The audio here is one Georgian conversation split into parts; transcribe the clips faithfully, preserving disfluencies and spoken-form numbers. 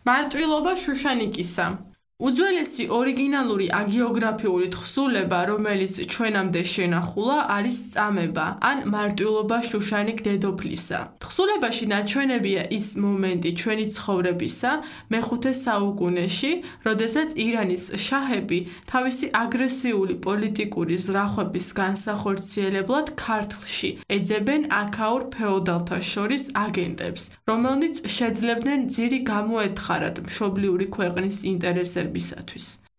მარტვილობა შუშანიკისა. უძველესი ორიგინალური აგიოგრაფიული თხზულება, რომელიც ჩვენამდე შენახულა, არის წამება ან მარტვილობა შუშანიკ დედოფლისა. თხზულებაში ნაჩვენებია ის მომენტი ჩვენი ცხოვრებისა მეხუთე საუკუნეში, როდესაც ირანის შაჰები თავისი აგრესიული პოლიტიკური ზრახვების განსახორციელებლად ქართლში ეძებენ აქაურ ფეოდალთა შორის აგენტებს, რომელნიც შეძლებდნენ ძირი გამოეთხარათ მშობლიური ქვეყნის ინტერესებს.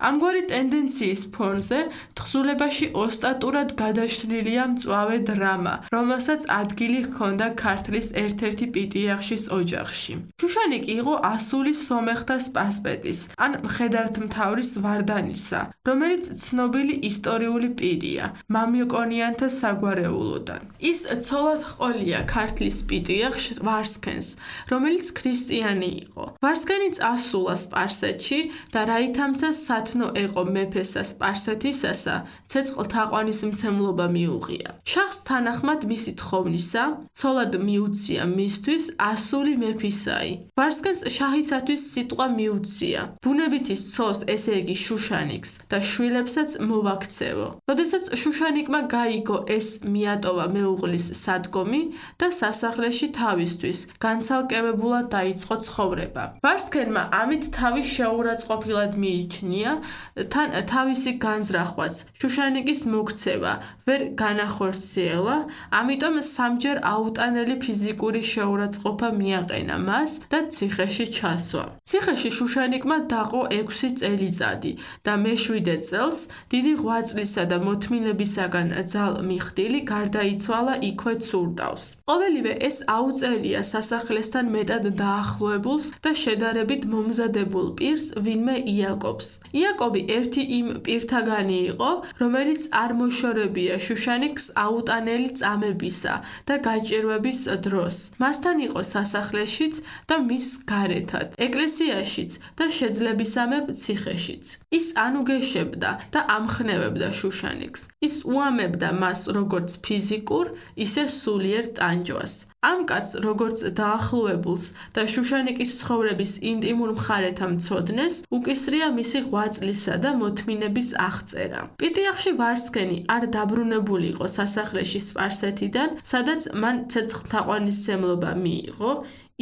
ამგვარი ტენდენციის ფონზე თხზულებაში ოსტატურად გადაშლილია მწვავე დრამა, რომელსაც ადგილი ჰქონდა ქართლის ერთ-ერთი პიტიახშის ოჯახში. შუშანიკი იყო ასული სომეხთა სპასპეტის, ან მხედართმთავრის ვარდანისა, რომელიც ცნობილი ისტორიული პირია, მამიოკონიანთა საგვარეულოდან. ის ცოლად ჰყოლია ქართლის პიტიახშ ვარსქენს, რომელიც ქრისტიანი იყო. ვარსქენი წასულა სპარსეთში და რაითამცა სათნო ეყო მეფესა სპარსეთისასა, ცეცხლთაყვანის მცემლობა მიუღია. შაჰს თანახმად მისი თხოვნისა, ცოლად მიუცია მისთვის ასული მეფისაი. ვარსქენს შაჰისათვის სიტყვა მიუცია, ბუნებითი ცოლს, ესე იგი შუშანიკს და შვილებსაც მოვაქცევო. როდესაც შუშანიკმა გაიგო ეს, მიატოვა მეუღლის სადგომი და სასახლეში თავისთვის განცალკევებულად დაიწყო ცხოვრება. ვარსქენმა ამით თავი შეურაცხყოფილად მიიჩნია, თან თავისი განზრახვაც, შუშანიკის მოქცევა ვერ განახორციელა, ამიტომ სამჯერ აუტანელი ფიზიკური შეურაცხყოფა მიაყენა მას და ციხეში ჩასვა. ციხეში შუშანიკმა დაყო ექვსი წელიწადი და მეშვიდე წელს დიდი ღვაწლისა და მოთმინებისაგან ძალმიხდილი გარდაიცვალა იქვე ცურტავს. ყოველივე ეს აუწერია სასახლესთან მეტად დაახლოებულს და შედარებით მომზადებულ პირს, ვინმე იაკობს. იაკობი ერთი იმ პირთაგანი იყო, რომელიც არ მოშორებია შუშანიკს აუტანელი წამებისა და გაჭირვების დროს. მასთან იყო სასახლეშიც და მის გარეთად, ეკლესიაშიც და შეძლებისამებრ ციხეშიც. ის ანუგეშებდა და ამხნევებდა შუშანიკს. ის უამებდა მას როგორც ფიზიკურ, ისე სულიერ ტანჯვას. ამ კაცს, როგორც დაახლოებულს და შუშანიკის ცხოვრების ინტიმურ მხარეთა მცოდნეს, უკისრია მისი ღვაწლისა და მოთმინების აღწერა. პიტიახში ვარსქენი არ დაბრუნებული იყო სასახლეში სპარსეთიდან, სადაც მან ცეცხლთაყვანისმცემლობა მიიღო.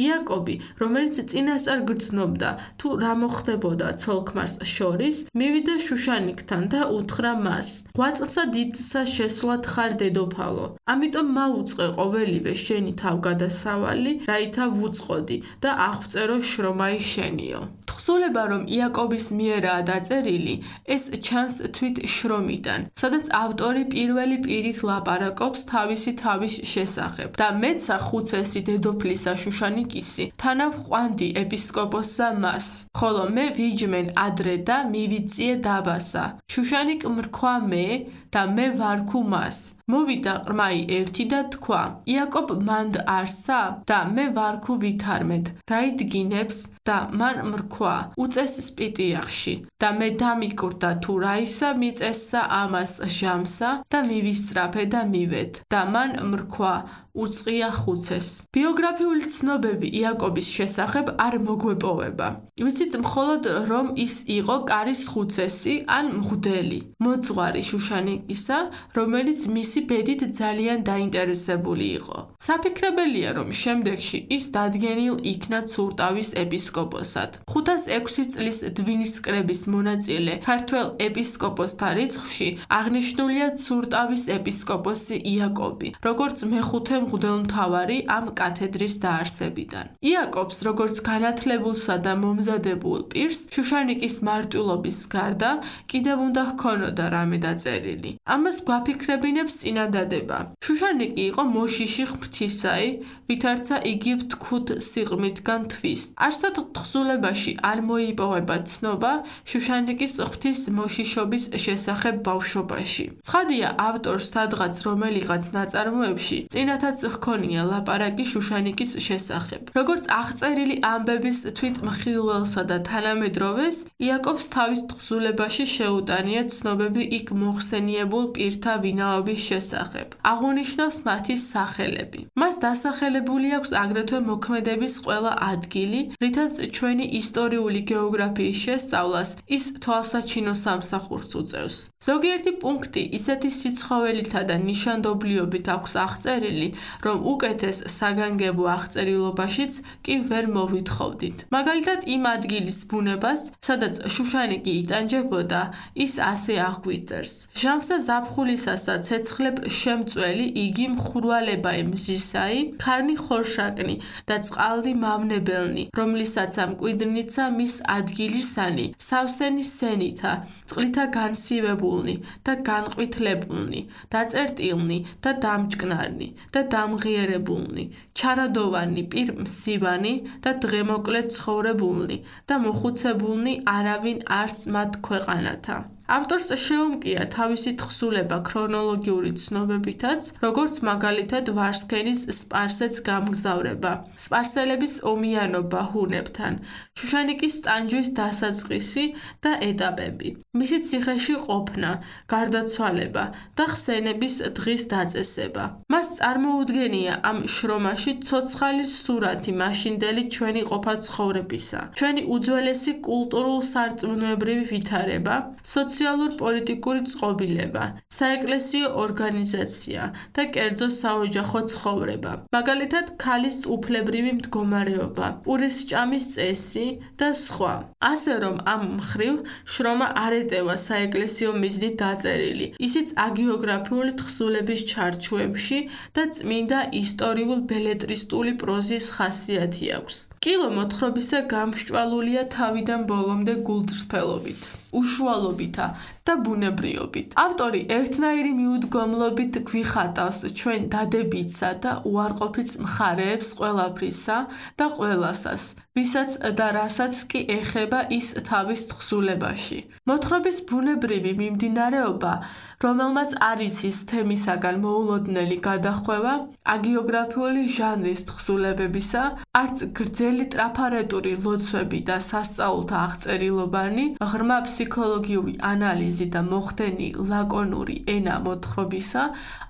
იაკობი, რომელიც წინასწარ გრძნობდა თუ რა მოხდებოდა ცოლ-ქმარს შორის, მივიდა შუშანიკთან და უთხრა მას: ღვაწლსა დიდსა შესვლად ხარ დედოფალო, ამიტომ მაუწყე ყოველივე შენი თავგადასავალი, რაითა ვუწყოდი და აღვწერო შრომაი შენიო. თხზულება, რომ იაკობის მიერაა დაწერილი, ეს ჩანს თვით შრომიდან, სადაც ავტორი პირველი პირით ლაპარაკობს თავისი თავის შესახებ და მეცა ხუცესი დედოფლისა შუშანიკისი თანავ ყვანდი ეპისკოპოსსა მას, ხოლო მე ვიჯმენ ადრე და მივიწიე დაბასა. შუშანიკ მრქვა მე და მე ვარქუ მას. მოვიდა ყრმაი ერთი და თქვა: იაკობ მანდ არსა და მე ვარქუ ვითარმედ, რაიდგინებს და მან მრქვა: უწეს სპიტიახში და მე დამიკვრდა თუ რაისა მიწესსა ამას ჟამსა და მივისწრაფე და მივედ და მან მრქვა: უწყია ხუცეს. ბიოგრაფიული ცნობები იაკობის შესახებ არ მოგვეპოვება. ვიცით მხოლოდ, რომ ის იყო კარის ხუცესი ან მღვდელი, მოძღვარი შუშანიკისა, რომელიც მისი ბედით ძალიან დაინტერესებული იყო. საფიქრებელია, რომ შემდეგში ის დადგენილ იქნა ცურტავის ეპისკოპოსად. ხუთას ექვსი წლის დვინის კრების მონაწილე ქართველ ეპისკოპოსთა რიცხვში აღნიშნულია ცურტავის ეპისკოპოსი იაკობი, როგორც მეხუთე მღვდელმთავარი ამ კათედრის დაარსებიდან. იაკობს, როგორც განათლებულსა და მომზადებულ პირს, შუშანიკის მარტვილობის გარდა კიდევ უნდა ჰქონოდა რამე დაწერილი. ამას გვაფიქრებინებს წინადადება. შუშანიკი იყო მოშიში ღვთისაი, ვითარცა იგი ვთქვთ სიყრმითგან თვის. არსად თხზულებაში არ მოიპოვება ცნობა შუშანიკის ღვთის მოშიშობის შესახებ ბავშვობაში. ცხადია, ავტორს სადღაც რომელიღაც ნაწარმოებში წინათა რითაც ჰქონია ლაპარაკი შუშანიკის შესახებ. Როგორც აღწერილი ამბების თვით მხილველსა და თანამედროვეს, იაკობს თავის თხზულებაში შეუტანია ცნობები იქ მოხსენიებულ პირთა ვინაობის შესახებ. აღუნიშნავს მათი სახელები. მას დასახელებული აქვს აგრეთვე მოქმედების ყველა ადგილი, რითაც ჩვენი ისტორიული გეოგრაფიის შესწავლას ის თვალსაჩინო სამსახურს უწევს. ზოგიერთი პუნქტი ისეთი სიცხოველითა და ნიშანდობლიობით აქვს აღწერილი, რომ უკეთეს საგანგებო აღწერილობაშიც კი ვერ მოვითხოვდით. მაგალითად, იმ ადგილის ბუნებას, სადაც შუშანიკი იტანჯებოდა, ის ასე აღგვიწერს. ჟამსა ზაფხულისასა ცეცხლებ შემწველი იგი მხურვალება მზისაი, ქარნი ხორშაკნი და წყალდი მავნებელნი, რომლისაც ამ კვიდრნიცა მის ადგილისანი, სავსენი სენითა, წყლითა განსივებულნი და განყვითლებულნი, დაწერტილნი და დამჭკნარნი და დამღიერებულნი, ჩარადოვანი პირმსივანი და დღემოკლე ცხოვრებულნი და მოხუცებულნი არავინ არც მათ ქვეყანათა. ავტორს შეუმკია თავისი თხზულება ქრონოლოგიური ცნობებითაც, როგორც მაგალითად ვარსქენის სპარსეთს გამგზავრება, სპარსელების ომიანობა ჰუნებთან, შუშანიკის ტანჯვის დასაწყისი და ეტაპები, მისი ციხეში ყოფნა, გარდაცვალება და ხსენების დღის დაწესება. მას წარმოუდგენია ამ შრომაში ცოცხალი სურათი მაშინდელი ჩვენი ყოფა ცხოვრებისა, ჩვენი უძველესი კულტურულ-სარწმუნოებრივი ვითარება, სოციალურ-პოლიტიკური წყობილება, საეკლესიო ორგანიზაცია და კერძო საოჯახო ცხოვრება. მაგალითად, ქალის უფლებრივი მდგომარეობა, პურისჭამის წესი და სხვა. ასე რომ ამ მხრივ შრომა არ ეტევა საეკლესიო მიზნით დაწერილი, ისიც აგიოგრაფიული თხზულების ჩარჩოებში და წმინდა ისტორიულ-ბელეტრისტული პროზის ხასიათი აქვს. კილო მოთხრობისა გამსჭვალულია თავიდან ბოლომდე გულწრფელობით, უშუალობითა და ბუნებრიობით. ავტორი ერთნაირი მიუდგომლობით გვიხატავს ჩვენ დადებითსა და უარყოფით მხარეებს ყველაფრისა და ყველასას, ვისაც და რასაც კი ეხება ის თავის თხზულებაში. მოთხრობის ბუნებრივი მიმდინარეობა, რომელმაც არ იცის თემისაგან მოულოდნელი გადახვევა, აგიოგრაფიული ჟანრის თხზულებებისა, არც გრძელი ტრაფარეტული ლოცვები და სასწაულთა აღწერილობანი, ღრმა ფსიქოლოგიური ანალიზი და მოხდენი ლაკონური ენა მოთხრობისა,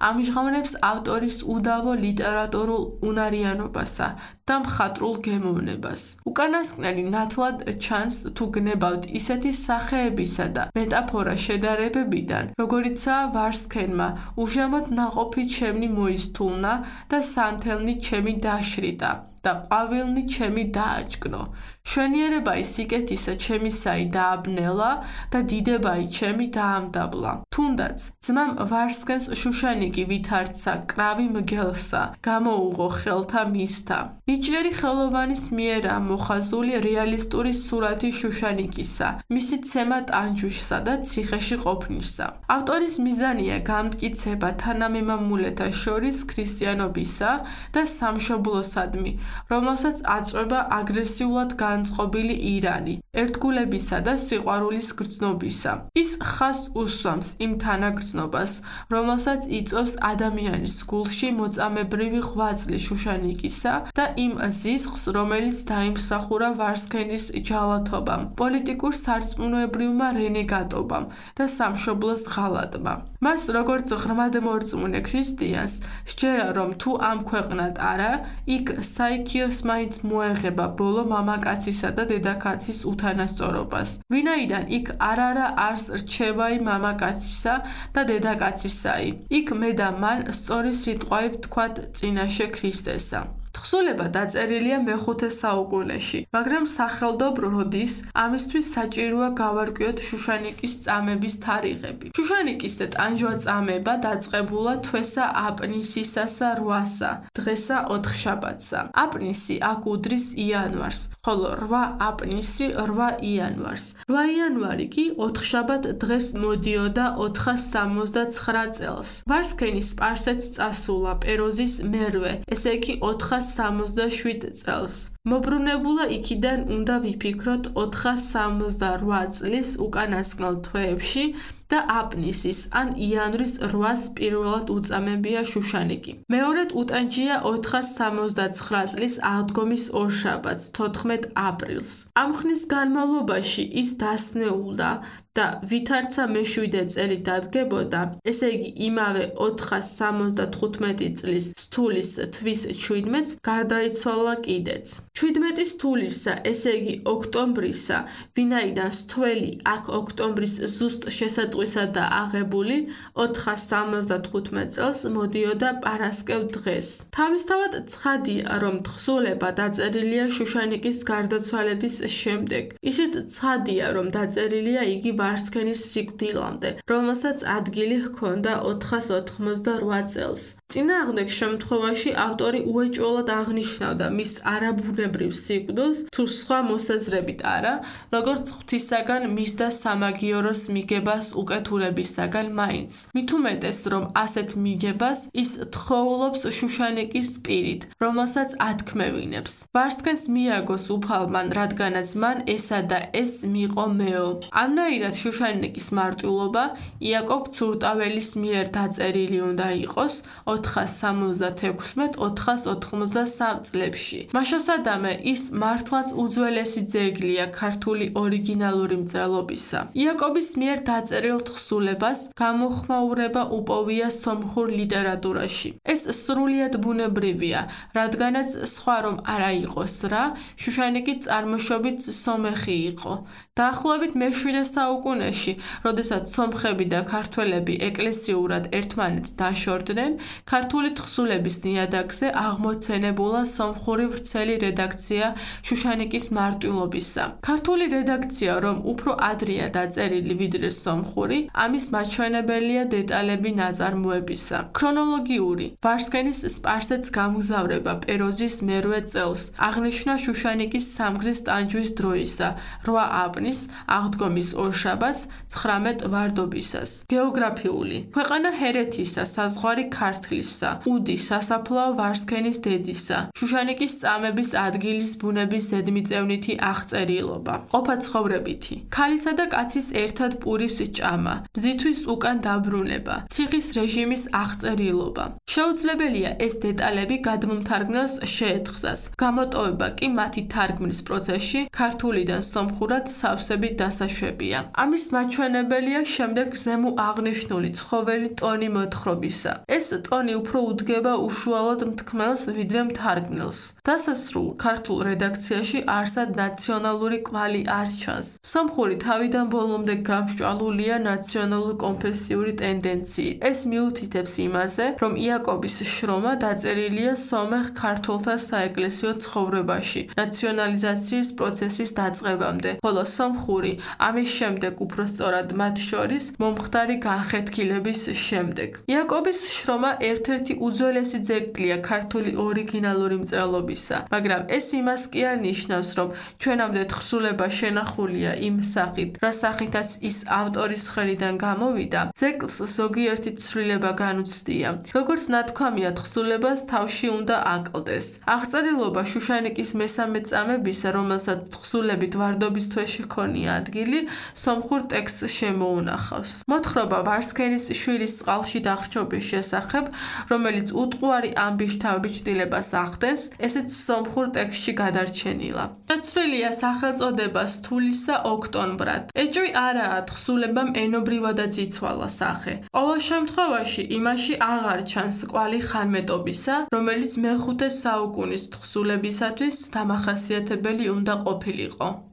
ამჟღავნებს ავტორის უდავო ლიტერატურულ უნარიანობასა და მხატვრულ გემოვნებას. უკანასკნელი ნათლად ჩანს თუ გნებავთ ისეთი სახეებისა და მეტაფორა შედარებებიდან, როგორიცაა ვარსქენმა უშემოდ ნაყოფი ჩემნი მოისთულნა და სანთელნი ჩემი დაშრიდა და ყვავილნი ჩემი დააჭკნო. შვენიერებაი სიკეთისა ჩემისაი დააბნელა და დიდებაი ჩემი დაამდაბლა. თუნდაც ძმამ ვარსქენს შუშანიკი ვითარცა კრავი მგელსა, გამოუღო ხელთა მისთა. ნიჭიერი ხელოვანის მიერა მოხაზული რეალისტური სურათი შუშანიკისა, მისი ცემა ტანჯვისა და ციხეში ყოფნისა. ავტორის მიზანია გამტკიცება თანამემამულეთა შორის ქრისტიანობისა და სამშობლოსადმი, რომელსაც აწვება აგრესიულად განწყობილი ირანი, ერთგულებისა და სიყვარულის გრძნობისა. ის ხაზს უსვამს იმ თანაგრძნობას, რომელსაც იწვევს ადამიანის გულში მოწამებრივი ღვაწლი შუშანიკისა და იმ ზიზღს, რომელიც დაიმსახურა ვარსქენის ჯალათობამ, პოლიტიკურ სარწმუნოებრივმა რენეგატობამ და სამშობლოს ღალატმა. მას, როგორც ღრმადმორწმუნე ქრისტიანს, სჯერა, რომ თუ ამ ქვეყნად არა, იქ საიქიოს მაინც მოეღება ბოლო მამაკაცისა და დედაკაცის უთანასწორობას. ვინაიდან იქ არ-არა არს რჩევაი მამაკაცისა და დედაკაცისაი. იქ მე და მან სწორი სიტყვაი ვთქვათ წინაშე ქრისტესა. თხზულება დაწერილია მეხუთე საუკუნეში, მაგრამ სახელდობ როდის ამისთვის საჭიროა გავარკვიოთ შუშანიკის წამების თარიღები. შუშანიკის ტანჯვა-წამება დაწყებულა თვესა აპნისისასა რვასა, დღესა ოთხშაბათსა. აპნისი აქ უდრის იანვარს, ხოლო რვა აპნისი რვა იანვარს. რვა იანვარი კი ოთხშაბათ დღეს მოდიოდა ოთხას სამოცდაცხრა წელს. ვარსქენი სპარსეთს წასულა პეროზის მერვე, ესე იგი ოთხას სამოცდაშვიდ წელს. მობრუნებულა იქიდან უნდა ვიფიქროთ ოთხას სამოცდარვა წლის უკანასკნელ თვეებში და აპნისის ან იანვრის რვას პირველად უწამებია შუშანიკი. მეორედ უტანჯია ოთხას სამოცდაცხრა წლის აღდგომის ორშაბათს თოთხმეტ აპრილს. ამ ხნის განმავლობაში ის დასნეულდა და ვითარცა მეშვიდე წელი დადგებოდა, ესე იგი იმავე ოთხას სამოცდათხუთმეტი წლის სთulis თვის შვიდმეტს გარდაიცვალა კიდეც. შვიდმეტის თულისა, ესე იგი ოქტომბრისა, ვინაიდან სთველი აქ ოქტომბრის ზუსტ შესატყვისადაა აღებული, ოთხას სამოცდათხუთმეტ წელს მოდიოდა პარასკევ დღეს. თავისთავად ცხადია, რომ თხზულება დაწერილია შუშანიკის გარდაცვალების შემდეგ. ისიც ცხადია, რომ დაწერილია იგი ვარსქენის სიკვდილამდე, რომელსაც ადგილი ჰქონდა ოთხას ოთხმოცდარვა წელს. წინააღმდეგ შემთხვევაში ავტორი უეჭველად აღნიშნავდა მის არაბუნებრივ სიკვდილს, თუ სხვა მოსაზრებით არა, როგორც ღვთისაგან მისდა სამაგიოროს მიგებას უკეთურებისაგან მაინც. მით უმეტეს, რომ ასეთ მიგებას ის თხოვლობს შუშანიკის პირით, რომელსაც ათქმევინებს. ვარსქენს მიაგოს უფალმან, რადგანაც მან ესა და ეს მიიღო მეო. ამნაირად შუშანიკის მარტვილობა იაკობ ცურტაველის მიერ დაწერილი უნდა იყოს ოთხას სამოცდათექვსმეტ ოთხას ოთხმოცდასამ წლებში. მაშასადამე ის მართლაც უძველესი ძეგლია ქართული ორიგინალური მწერლობისა. იაკობის მიერ დაწერილ თხზულებას გამოხმაურება უპოვია სომხურ ლიტერატურაში. ეს სრულიად ბუნებრივია, რადგანაც სხვა რომ არა იყოს რა, შუშანიკი წარმოშობით სომეხი იყო. დაახლოებით მეშვიდე საუკუნეში, როდესაც სომხები და ქართველები ეკლესიურად ერთმანეთს დაშორდნენ, ქართული თხზულების ნიადაგზე აღმოცენებულა სომხური ვრცელი რედაქცია შუშანიკის მარტვილობისა. ქართული რედაქცია, რომ უფრო ადრეა დაწერილი ვიდრე სომხური, ამის მაჩვენებელია დეტალები ნაწარმოებისა. ქრონოლოგიური ვარსქენის სპარსეთს გამგზავრება პეროზის მერვე წელს აღნიშნა შუშანიკის სამგზის ტანჯვის დროისა, რვა აპნის აღდგომის ორშაბათს ცხრამეტ ვარდობისას. გეოგრაფიული ქვეყანა ჰერეთისა, საზღვარი ქართლისა, უდი სასაფლაო ვარსქენის დედისა, შუშანიკის წამების ადგილის ბუნების ზედმიწევნითი აღწერილობა. ყოფაცხოვრებითი ქალისა და კაცის ერთად პურის ჭამა, ბზითვის უკან დაბრუნება, ციხის რეჟიმის აღწერილობა. შეუძლებელია ეს დეტალები გადმომთარგმნელს შეეთხზას. გამოტოვება კი მათი თარგმნის პროცესში ქართულიდან სომხურად სავსებით დასაშვებია. ამის მაჩვენებელია შემდეგ ზემო აღნიშნული ცხოველი ტონი მოთხრობისა. ეს ტონი უფრო უდგება უშუალოდ მთქმელს ვიდრე მთარგმნელს. დასასრულ ქართულ რედაქციაში არსად ნაციონალური კვალი არ ჩანს. სომხური თავიდან ბოლომდე გამსჭვალულია ნაციონალურ-კონფესიური ტენდენციით. ეს მიუთითებს იმაზე, რომ იაკობის შრომა დაწერილია სომეხ ქართველთა საეკლესიო ცხოვრებაში, ნაციონალიზაციის პროცესის დაწყებამდე, ხოლო სომხური ამის შემდეგ უფრო სწორად მათ შორის მომხდარი განხეთქილების შემდეგ. იაკობის შრომა ერთ-ერთი უძველესი ძეგლია ქართული ორიგინალური მწერლობისა, მაგრამ ეს იმას კი არ ნიშნავს, რომ ჩვენამდე თხზულება შენახულია იმ სახით, რა სახითაც ის ავტორის ხელიდან გამოვიდა, ძეგლს ზოგიერთი ცვლილება განუცდია. როგორც ნათქვამია, თხზულებას თავში უნდა აკლდეს. აღწერილობა შუშანიკის მესამე წამებისა, რომელსაც თხზულებით ვარდობის თვეში ჰქონია ადგილი, სომხურ ტექსტს შემოუნახავს. მოთხრობა ვარსქენის შვილის წყალში დახრჩობის შესახებ, რომელიც უტყუარი ამბიშ-თავბიჭდილებას ახდენს, ესეც სომხურ ტექსტში გადარჩენილა. დაცვლილია სახელწოდება სთულისა ოქტომბრად. ეჭვი არაა თხზულებამ ენობრივადაც იცვალა სახე. ყოველ შემთხვევაში იმაში აღარ ჩანს კვალი ხანმეტობისა, რომელიც მეხუთე საუკუნის თხზულებისათვის დამახასიათებელი უნდა ყოფილიყო.